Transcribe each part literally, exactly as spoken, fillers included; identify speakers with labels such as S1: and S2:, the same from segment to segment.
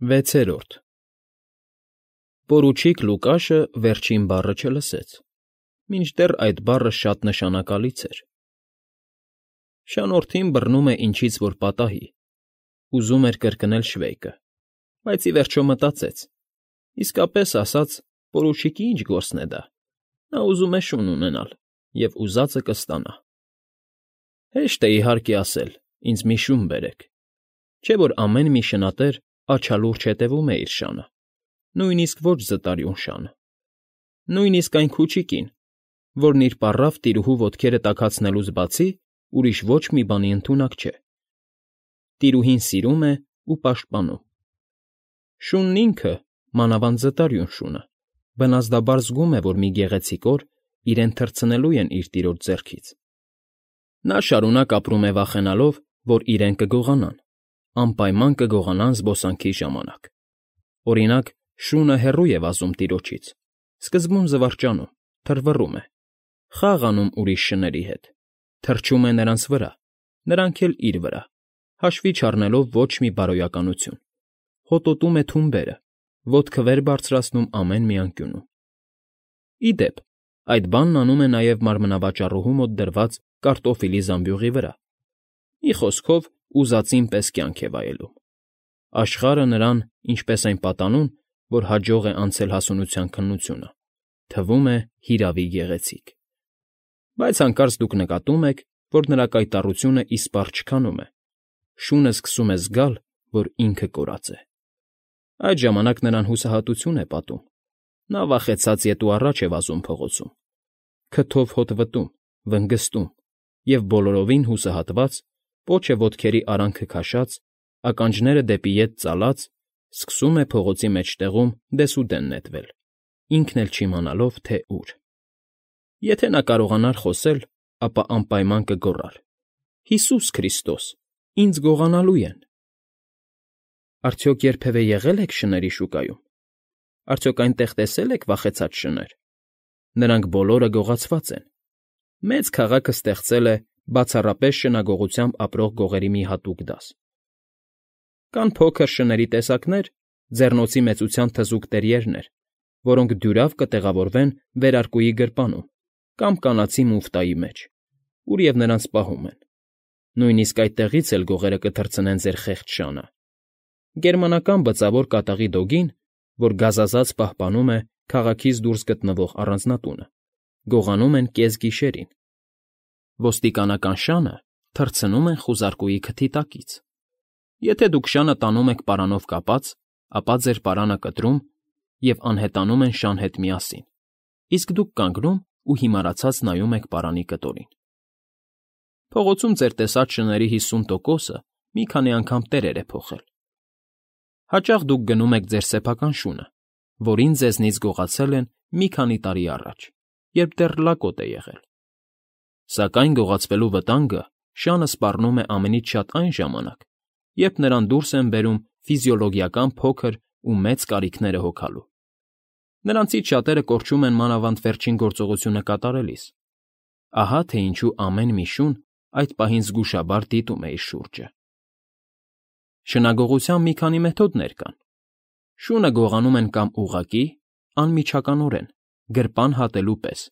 S1: Վեցերորդ Պորուչիկ Լուկաշը վերջին բառը չլսեց, մինչդեռ այդ բառը շատ նշանակալից էր։ Շանորդին բռնում է ինչից որ պատահի, ուզում էր կրկնել շվեյկը, բայց ի վերջո մտածեց. իսկապես ասած, պորուչիկի ինչ գործն է դա, նա ուզում է շուն ունենալ և ուզածը կստանա։ Հեշտ է, իհարկե, ասել. ինձ մի շուն բերեք, չէ՞ որ ամեն մի շնատեր աչալուրջ հետևում է իր շանը, նույնիսկ ոչ զտարյուն շանը, նույնիսկ այն քուչիկին, որն իր պառավ տիրուհու ոտքերը տաքացնելուց բացի ուրիշ ոչ մի բանի ընդունակ չէ։ Տիրուհին սիրում է ու պաշտպանում։ Շունն ինքը, մանավանդ զտարյուն շունը, բնազդաբար զգում է, որ մի գեղեցիկ օր իրեն թռցնելու են իր տիրոջ ձեռքից։ Նա շարունակ ապրում է վախենալով, որ իրեն կգողանան, անպայման կգողանան զբոսանքի ժամանակ։ Օրինակ, շունը հեռու է վազում տիրոջից, սկզբում զվարճանում, թռվռում է, խաղ անում ուրիշ շների հետ, թռչում է նրանց վրա, նրանք էլ իր վրա, հաշվի չառնելով ոչ մի բարոյականություն, հոտոտում է թունբերը, ոտքը վեր բարձրացնում ամեն մի անկյունում։ Ի դեպ, այդ բանն անում է նաև մարմնավաճառուհու մոտ դրված կարտոֆիլի զամբյուղի վրա, մի խոսքով, ուզածին պես կյանք է վայելում։ Աշխարհը նրան, ինչպես այն պատանուն, որ հաջող է անցել հասունության քննությունը, թվում է հիրավի գեղեցիկ։ Բայց հանկարծ դուք նկատում եք, որ նրա կայտառությունը իսպառ չքանում է, շունը սկսում է զգալ, որ ինքը կորած է։ Այդ ժամանակ նրան հուսահատություն է պատում, նա վախեցած ետ ու առաջ է վազում փողոցում, քթով հոտ վտում, վնգստում և բոլորովին հուսահատված, պոչը ոտքերի արանքը քաշած, ականջները դեպի ետ ծալած, սկսում է փողոցի մեջտեղում դեսուդեն նետվել, ինքն էլ չիմանալով, թե ուր։ Եթե նա կարողանար խոսել, ապա անպայման կգոռար. «Հիսուս Քրիստոս, ինձ գողանալու են»։ Արդյոք երբևէ եղե՞լ եք շների շուկայում։ Արդյոք այնտեղ տեսե՞լ եք վախեցած շներ։ Նրանք բոլորը գողացված են։ Մեծ քաղաքը ստեղծել է բացառապես շնագողությամբ ապրող գողերի մի հատուկ դաս։ Կան փոքր շների տեսակներ, ձեռնոցի մեծության թզուկ տերիերներ, որոնք դյուրավ կտեղավորվեն վերարկուի գրպանում կամ կանացի մուֆտայի մեջ, ուր և նրանց պահում են։ Նույնիսկ այդտեղից էլ գողերը կթռցնեն ձեր խեղճ շանը։ Գերմանական բծավոր կատաղի դոգին, որ գազազած պահպանում է քաղաքից դուրս գտնվող առանձնատունը, գողանում են կեսգիշերին։ Ոստիկանական շանը թռցնում են խուզարկուի քթի տակից։ Եթե դուք շանը տանում եք պարանով կապած, ապա ձեր պարանը կտրում և անհետանում են շան հետ միասին, իսկ դուք կանգնում ու հիմարացած նայում եք պարանի կտորին։ Փողոցում ձեր տեսած շների հիսուն տոկոսը մի քանի անգամ տերեր է փոխել։ Հաճախ դուք գնում եք ձեր սեփական շունը, որին ձեզնից գողացել են մի քանի տարի առաջ, երբ դեռ լակոտ է եղել։ Սակայն գողացվելու վտանգը շանը սպառնում է ամենից շատ այն ժամանակ, երբ նրան դուրս են բերում ֆիզիոլոգիական փոքր ու մեծ կարիքները հոգալու։ Նրանցից շատերը կորչում են մանավանդ վերջին գործողությունը կատարելիս։ Ահա թե ինչու ամեն մի շուն այդ պահին զգուշաբար դիտում է իր շուրջը։ Շնագողության մի քանի մեթոդներ կան։ Շունը գողանում են կամ ուղղակի, անմիջականորեն, գրպան հատելու պես,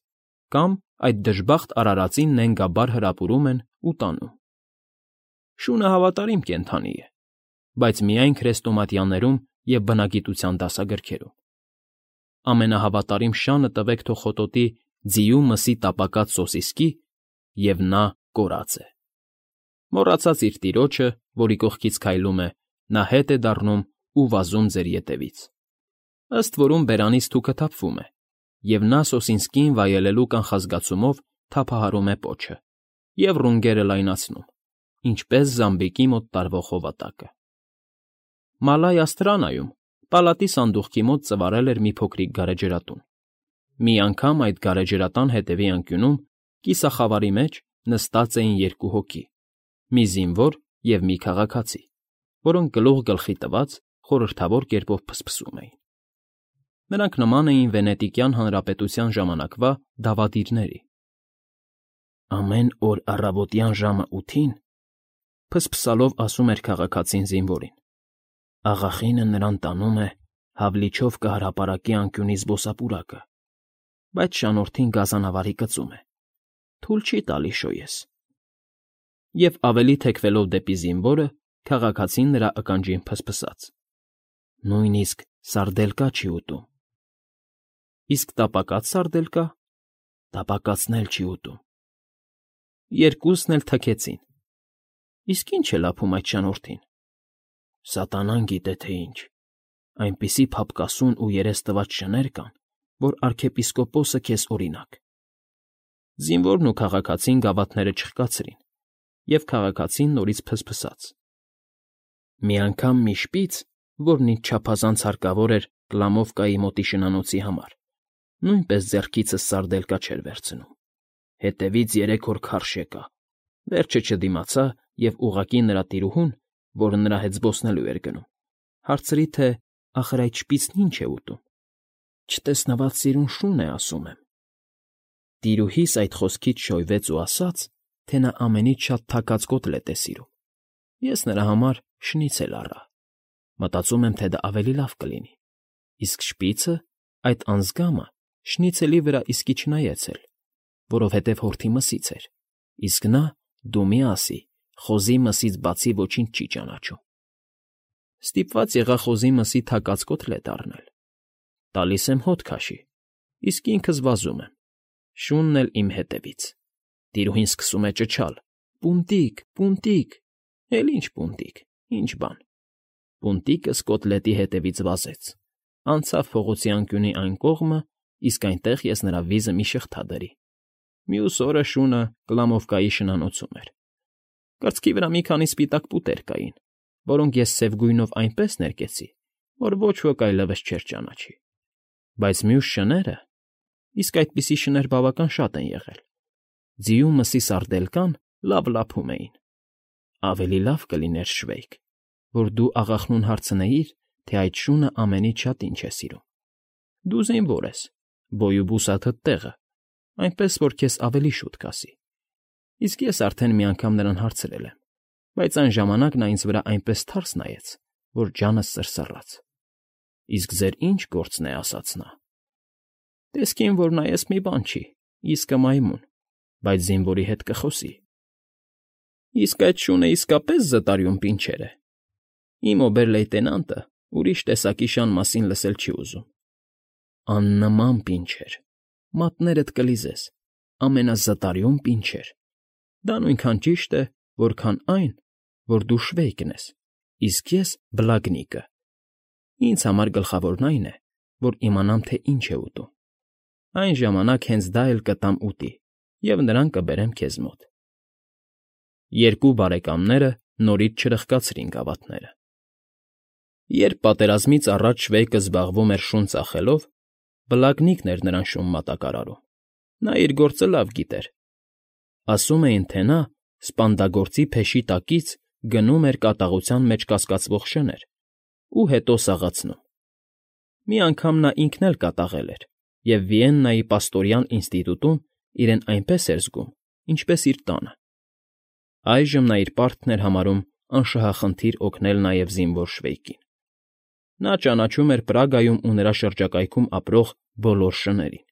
S1: կամ այդ դժբախտ արարածին նենգաբար հրապուրում են ու տանում։ Շունը հավատարիմ կենդանի է, բայց միայն քրեստոմատյաներում և բնագիտության դասագրքերում։ Ամենահավատարիմ շանը տվեք թող խոտոտի ձիու մսի տապակած սոսիսկի, և նա կորած է։ Մոռացած իր տիրոջը, որի կողքից քայլում է, նա հետ է դառնում ու վազում ձեր ետևից։ Ըստ որում բերանից թուքը թափվում է, և նա սոսինսկիին վայելելու կանխազգացումով թափահարում է պոչը և ռունգերը լայնացնում, ինչպես զամբիկի մոտ տարվող հովատակը։ Մալայ Աստրանայում պալատի սանդուղքի մոտ ծվարել էր մի փոքրիկ գարեջրատուն։ Մի անգամ այդ գարեջրատան հետևի անկյունում, կիսախավարի մեջ, նստած էին երկու հոգի՝ մի զինվոր և մի քաղաքացի, որոնք գլուխ գլխի տված խորհրդավոր կերպով փսփսում էին։ Նրանք նման էին Վենետիկյան Հանրապետության ժամանակվա դավադիրների։ «Ամեն օր առավոտյան ժամը ութին,֊ փսփսալով ասում էր քաղաքացին զինվորին,֊ Աղախինը նրան տանում է հավլիչով կհրապարակի անկյունի զբոսապուրակը, բայց շանորդին գազանավարի կծում է, թույլ չի տալի շոյես։ Եվ ավելի թեքվելով դեպի զինվորը, քաղաքացին նրա ականջին ֆսֆսաց. նույնիսկ սարդելկա չի ուտում։ Իսկ տապակած սարդելկա, տապակածն էլ չի ուտում։ Երկուսն էլ թքեցին։ Իսկ ի՞նչ է լափում այդ շանորդին։ Սատանան գիտե թե ինչ, այնպիսի փափկասուն ու երես տված շներ կան, որ արքեպիսկոպոսը քեզ օրինակ։ Զինվորն ու քաղաքացին գավաթները չխկացրին, և քաղաքացին նորից ֆսֆսաց։ Մի անգամ մի շպիծ, որն ինձ չափազանց հարկավոր էր Կլամովկայի մոտի շնանոցի համար, նույնպես ձեռքիցս սարդելկա չէր վերցնում։ Հետևից երեք օր քարշ եկա, վերջը չդիմացա և ուղղակի նրա տիրուհուն, որը նրա հետ զբոսնելու էր գնում, հարցրի, թե ախր այդ շպիծն ինչ է ուտում։ Չտեսնված սիրուն շուն է, ասում եմ։ Տիրուհիս այդ խոսքից շոյվեց ու ասաց, թե նա ամենից շատ թաքած կոտլետ է սիրում։ Ես նրա համար շնիցել առա։ Մտածում եմ, թե դա ավելի լավ կլինի։ Իսկ շպիծը, այդ անձգամը, շնիցելի վրա իսկի չնայեց էլ, որովհետև հորթի մսից էր, իսկ նա, դու մի ասի, խոզի մսից բացի ոչինչ չի ճանաչում։ Ստիպված եղա խոզի մսի թաքած կոտլետ առնել։ Տալիս եմ հոտ քաշի, իսկ ինքս վազում եմ, շունն էլ իմ հետևից։ Տիրուհին սկսում է ճչալ. «Պունտիկ, պունտիկ», էլ ինչ պունտիկ, ինչ բան։ Պունտիկս կոտլետի հետևից վազեց, անցավ փողոցի անկյունի այն կողմը, իսկ այնտեղ ես նրա վիզը մի շղթա դրի։ Մյուս օրը շունը Կլամովկայի շնանոցում էր։ Կրծքի վրա մի քանի սպիտակ պուտեր կային, որոնք ես սև գույնով այնպես ներկեցի, որ ոչ ոք այլևս չէր ճանաչի։ Բայց մյուս շները, իսկ այդպիսի շներ բավական շատ են եղել, ձիու մսի սարդելկան լավ լափում էին։ Ավելի լավ կլիներ, Շվեյք, որ դու աղախնուն հարցնեիր, թե այդ շունը ամենից շատ ինչ է սիրում։ Դու զինվոր ես, բոյուբուսաթդ տեղը, այնպես որ քեզ ավելի շուտ կասի։ Իսկ ես արդեն մի անգամ նրան հարցրել եմ, բայց այն ժամանակ նա ինձ վրա այնպես թարս նայեց, որ ջանս սրսռաց։ Իսկ ձեր ի՞նչ գործն է, ասաց նա։ Տեսքին որ նայես մի բան չի, իսկը մայմուն, բայց զինվորի հետ կխոսի։ Իսկ այդ շունը իսկապես զտարյուն պինչեր է։ Իմ օբեր֊լեյտենանտը ուրիշ տեսակի շան մասին լսել չի ուզում։ Աննման պինչեր, մատներդ կլիզես, ամենազտարյուն պինչեր։ Դա նույնքան ճիշտ է, որքան այն, որ դու Շվեյկն ես, իսկ ես Բլագնիկը։ Ինձ համար գլխավորն այն է, որ իմանամ, թե ինչ է ուտում։ Այն ժամանակ հենց դա էլ կտամ ուտի, և նրան կբերեմ քեզ մոտ։ Երկու բարեկամները նորից չրխկացրին գավաթները։ Երբ պատերազմից առաջ Շվեյկը զբաղվում էր շուն ծախելով, Բլագնիկն էր նրան շուն մատակարարում։ Նա իր գործը լավ գիտեր։ Ասում էին, թե նա սպանդագործի փեշի տակից գնում էր կատաղության մեջ կասկածվող շներ ու հետո սաղացնում։ Մի անգամ նա ինքն էլ կատաղել էր և Վիեննայի պաստորյան ինստիտուտում իրեն այնպես էր զգում, ինչպես իր տանը։ Այժմ նա իր պարտքն էր համարում անշահախնդիր օգնել նաև զինվոր Շվեյկին։ Նա ճանաչում էր Պրագայում ու նրա շրջակայքում ապրող բոլոր շներին,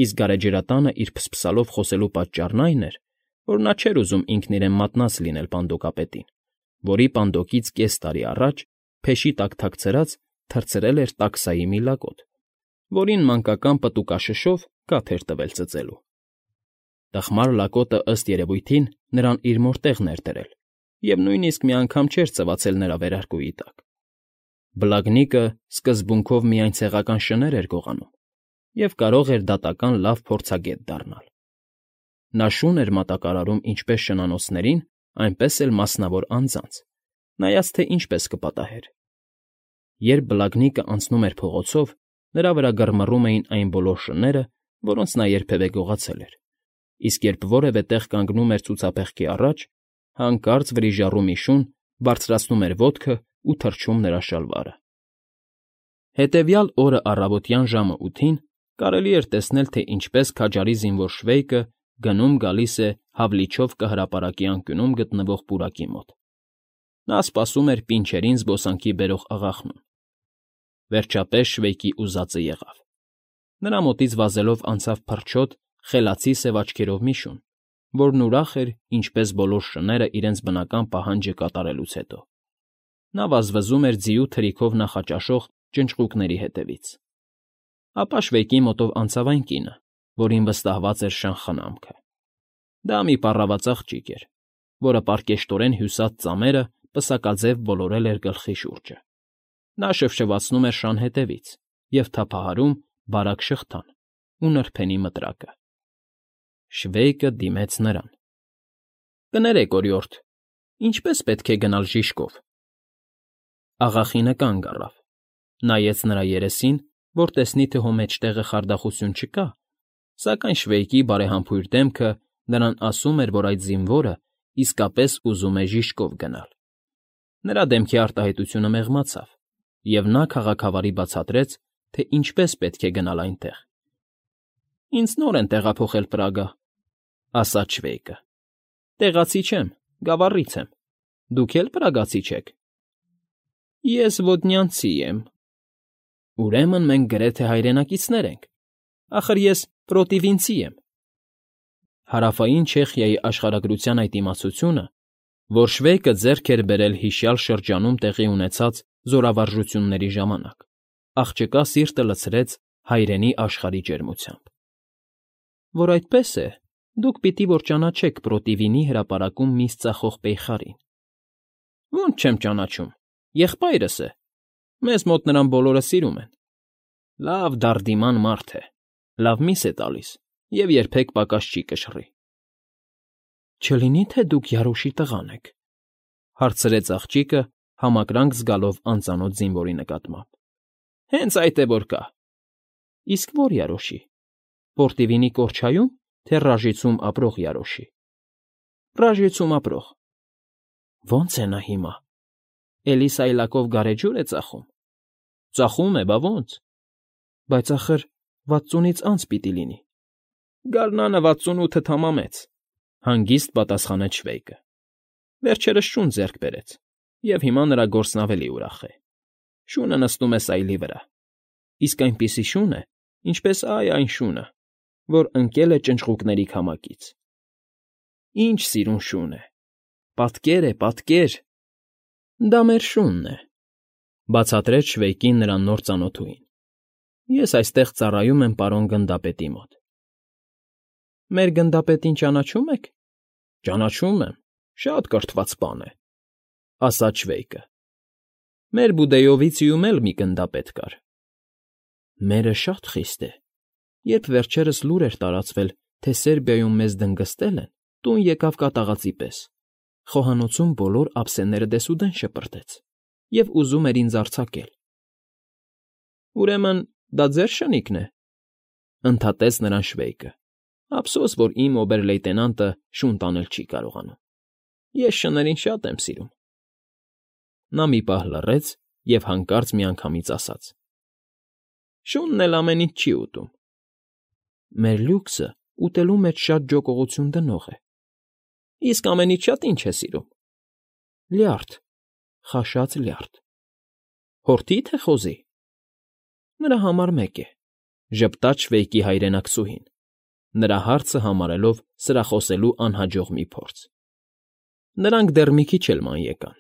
S1: իսկ գարեջրատանը իր փսփսալով խոսելու պատճառն այն էր, որ նա չէր ուզում ինքն իրեն մատնած լինել պանդոկապետին, որի պանդոկից կես տարի առաջ, փեշի տակ թաքցրած, թռցրել էր տաքսայի մի լակոտ, որին մանկական պտուկաշշով կաթ էր տվել ծծելու։ Տխմար լակոտը, ըստ երևույթին, նրան իր մոր տեղն էր դրել և նույնիսկ մի անգամ չէր ծվացել նրա վերարկուի տակ։ Բլագնիկը սկզբունքով միայն ցեղական շներ էր գողանում և կարող էր դատական լավ փորձագետ դառնալ։ Նա շուն էր մատակարարում ինչպես շնանոցներին, այնպես էլ մասնավոր անձանց, նայած թե ինչպես կպատահեր։ Երբ Բլագնիկը անցնում էր փողոցով, նրա վրա գրմռում էին այն բոլոր շները, որոնց նա երբևէ գողացել էր, իսկ երբ որևէ տեղ կանգնում էր ցուցափեղկի առաջ, հանկարծ վրիժառու մի շուն բարձրացնում էր ոտքը ու թռչում նրա շալվարը։ Հետևյալ օրը առավոտյան ժամը ութին կարելի էր տեսնել, թե ինչպես քաջարի զինվոր Շվեյկը գնում֊գալիս է հավլիչով կհրապարակի անկյունում գտնվող պուրակի մոտ։ Նա սպասում էր պինչերին զբոսանքի բերող աղախնուն։ Վերջապես Շվեյկի ուզածը եղավ։ Նրա մոտից վազելով անցավ փրչոտ, խելացի սև աչքերով մի շուն, որն ուրախ էր, ինչպես բոլոր շները իրենց բնական պահանջը կատարելուց հետո։ Նա վազվզում էր ձիու թրիքով նախաճաշող ճնճղուկների հետևից։ Ապա Շվեյկի մոտով անցավ այն կինը, որին վստահված էր շան խնամքը։ Դա մի պառաված աղջիկ էր, որը պարկեշտորեն հյուսած ծամերը պսակաձև ոլորել էր գլխի շուրջը։ Նա շվշվացնում էր շան հետևից և թափահարում բարակ շղթան ու նրբենի մտրակը։ Շվեյկը դիմեց նրան։ ֊ Կներեք, օրիորդ, ինչպե՞ս պետք է գնալ Ժիշկով։ Աղախինը կանգ առավ, նայեց նրա երեսին, որ տեսնի, թե հո մեջտեղը խարդախություն չկա, սակայն Շվեյկի բարեհամբույր դեմքը նրան ասում էր, որ այդ զինվորը իսկապես ուզում է Ժիշկով գնալ։ Նրա դեմքի արտահայտությունը մեղմացավ, և նա քաղաքավարի բացատրեց, թե ինչպես պետք է գնալ այնտեղ։ ֊ Ինձ նոր են տեղափոխել Պրագա,֊ ասաց Շվեյկը։ ֊ Տեղացի չեմ, գավառից եմ։ Դուք էլ պրագացի չեք։ ֊ Ես ոդնյանցի եմ։ ֊ Ուրեմն մենք գրեթե հայրենակիցներ ենք։ Ախր ես պրոտիվինցի եմ։ Հարավային Չեխիայի աշխարհագրության այդ իմացությունը, որ Շվեյկը ձեռք էր բերել հիշյալ շրջանում տեղի ունեցած զորավարժությունների ժամանակ, աղջկա սիրտը լցրեց հայրենի աշխարհի ջերմությամբ։ ֊ Որ այդպես է, դուք պիտի որ ճանաչեք Պրոտիվինի հրապարակում միս ծախող պեյխարին։ ֊ Ո՞նց չեմ ճանաչում, եղբայրս է։ Մեզ մոտ նրան բոլորը սիրում են։ Լավ դարդիման մարդ է, լավ միս է տալիս և երբեք պակաս չի կշռի։ ֊ Չլինի՞ թե դուք Երոշի տղան եք,֊ հարցրեց աղջիկը, համակրանք զգալով անծանոթ զինվորի նկատմամբ։ ֊ Հենց այդ է որ կա։ ֊ Իսկ ո՞ր Երոշի, Պորտիվինի կորչայո՞ւմ, թե Ռաժիցում ապրող Երոշի։ ֊ Ռաժիցում ապրող։ ֊ Ո՞նց է նա հիմա, էլի սայլակով գարեջուր է ծախում։ ֊ Ծախում է, բա ո՞նց։ ֊ Բայց ախր վաթսունից անց պիտի լինի։ ֊ Գարնանը վաթսունութը թամամեց,֊ հանգիստ պատասխանեց Շվեյկը։ Վերջերս շուն ձեռք բերեց, և հիմա նրա գործն ավելի ուրախ է։ Շունը նստում է սայլի վրա, իսկ այնպիսի շուն է, ինչպես ա՜յ այն շունը, որ ընկել է ճնճղուկների քամակից։ Ինչ սիրուն շուն է, պատկեր է, պատկեր… Դա մեր շունն է,֊ բացատրեց Շվեյկին նրա նոր ծանոթուհին։ Ես այստեղ ծառայում եմ պարոն գնդապետի մոտ։ ֊ Մեր գնդապետին ճանաչո՞ւմ եք։ ֊ Ճանաչում եմ, շատ կրթված բան է,֊ ասաց Շվեյկը։ Մեր Բուդեյովիցիում էլ մի գնդապետ կար։ ֊ Մերը շատ խիստ է։ Երբ վերջերս լուր էր տարածվել, թե Սերբիայում մեզ դնգստել են, տուն եկավ կատաղածի պես, խոհանոցում բոլոր ափսեները դեսուդեն շպրտեց և ուզում էր ինձ արձակել։ ֊ Ուրեմն դա ձեր շնիկն է,֊ ընդհատեց նրան Շվեյկը։ Ափսոս, որ իմ օբեր֊լեյտենանտը շուն տանել չի կարողանում։ Ես շներին շատ եմ սիրում։ Նա մի պահ լռեց և հանկարծ միանգամից ասաց. ֊ Շունն էլ ամեն ինչ չի ուտում։ ֊ Մեր լյուքսը ուտելու մեջ շատ ջոկողություն դնող է։ ֊ Իսկ ամենից շատ ի՞նչ է սիրում։ ֊ Լյարդ, խաշած լյարդ։ ֊ Հորթի՞, թե խոզի։ ֊ Նրա համար մեկ է,֊ ժպտաց Շվեյկի հայրենակցուհին, նրա հարցը համարելով սրախոսելու անհաջող մի փորձ։ Նրանք դեռ մի քիչ էլ ման եկան,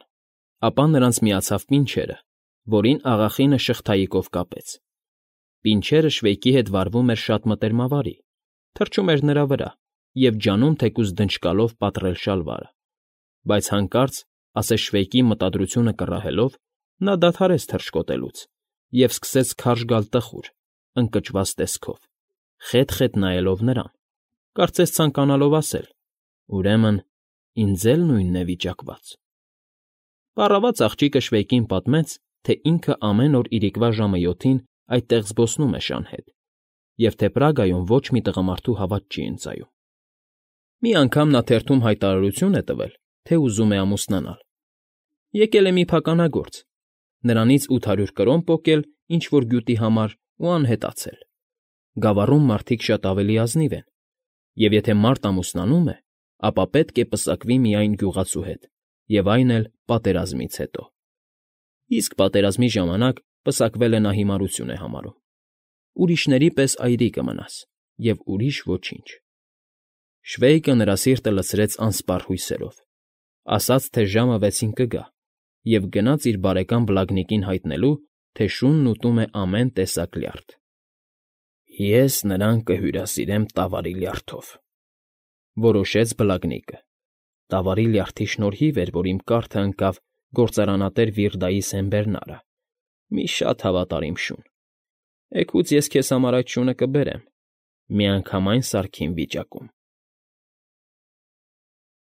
S1: ապա նրանց միացավ պինչերը, որին աղախինը շղթայիկով կապեց։ Պինչերը Շվեյկի հետ վարվում էր շատ մտերմավարի, թռչում էր նրա վրա և ջանում թեկուզ դնճկալով պատռել շալվարը, բայց հանկարծ, ասես Շվեյկի մտադրությունը կռահելով, նա դադարեց թռչկոտելուց և սկսեց քարշ գալ տխուր, ընկճված տեսքով, խետ֊խետ նայելով նրան, կարծես ցանկանալով ասել. «Ուրեմն ինձ էլ նույնն է վիճակված»։ Պառաված աղջիկը Շվեյկին պատմեց, թե ինքը ամեն օր իրիկվա ժամը յոթին այդտեղ զբոսնում է շան հետ, և թե Պրագայում ոչ մի տղամարդու հավատ չի ընծայում։ Մի անգամ նա թերթում հայտարարություն է տվել, թե ուզում է ամուսնանալ։ Եկել է մի փականագործ, նրանից ութ հարյուր կրոն պոկել ինչ֊որ գյուտի համար ու անհետացել։ Գավառում մարդիկ շատ ավելի ազնիվ են, և եթե մարդ ամուսնանում է, ապա պետք է պսակվի միայն գյուղացու հետ և այն էլ պատերազմից հետո։ Իսկ պատերազմի ժամանակ պսակվելը նա հիմարություն է համարում։ Ուրիշների պես այրի կմնաս, և ուրիշ ոչինչ։ Շվեյկը նրա սիրտը լցրեց անսպառ հույսերով, ասաց, թե ժամը վեցին կգա, և գնաց իր բարեկամ Բլագնիկին հայտնելու, թե շունն ուտում է ամեն տեսակ լյարդ։ «Ես նրան կհյուրասիրեմ տավարի լյարդով,֊ որոշեց Բլագնիկը։ (Տավարի լյարդի շնորհիվ էր, որ իմ կառքը ընկավ գործարանատեր Վիռդայի սեմբերնարը, մի շատ հավատարիմ շուն։ Էգուց ես քեզ համար այդ շունը կբերեմ, միանգամայն սարքին վիճակում)։